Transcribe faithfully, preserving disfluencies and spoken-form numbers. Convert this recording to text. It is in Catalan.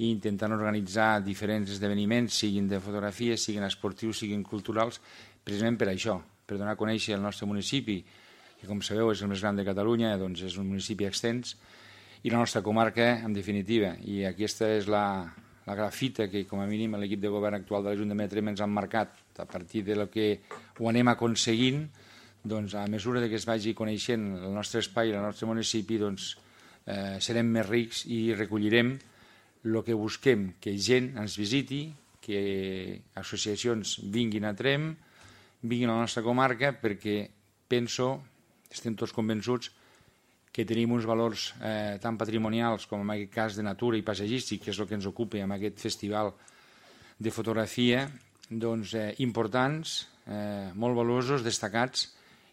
i intentant organitzar diferents esdeveniments, siguin de fotografia, siguin esportius, siguin culturals, precisament per això, per donar a conèixer el nostre municipi, que com sabeu és el més gran de Catalunya, doncs és un municipi extens, i la nostra comarca, en definitiva. I aquesta és la, la grafita que, com a mínim, l'equip de govern actual de l'Ajuntament de Tremp ens han marcat. A partir de lo que ho anem aconseguint, doncs, a mesura que es vagi coneixent el nostre espai i el nostre municipi, doncs, eh, serem més rics i recollirem el que busquem, que gent ens visiti, que associacions vinguin a Tremp, vinguin a la nostra comarca, perquè penso, estem tots convençuts, que tenim uns valors eh, tan patrimonials com en aquest cas de natura i paisatgístic, que és el que ens ocupa amb aquest festival de fotografia, doncs, eh, importants, eh, molt valuosos, destacats,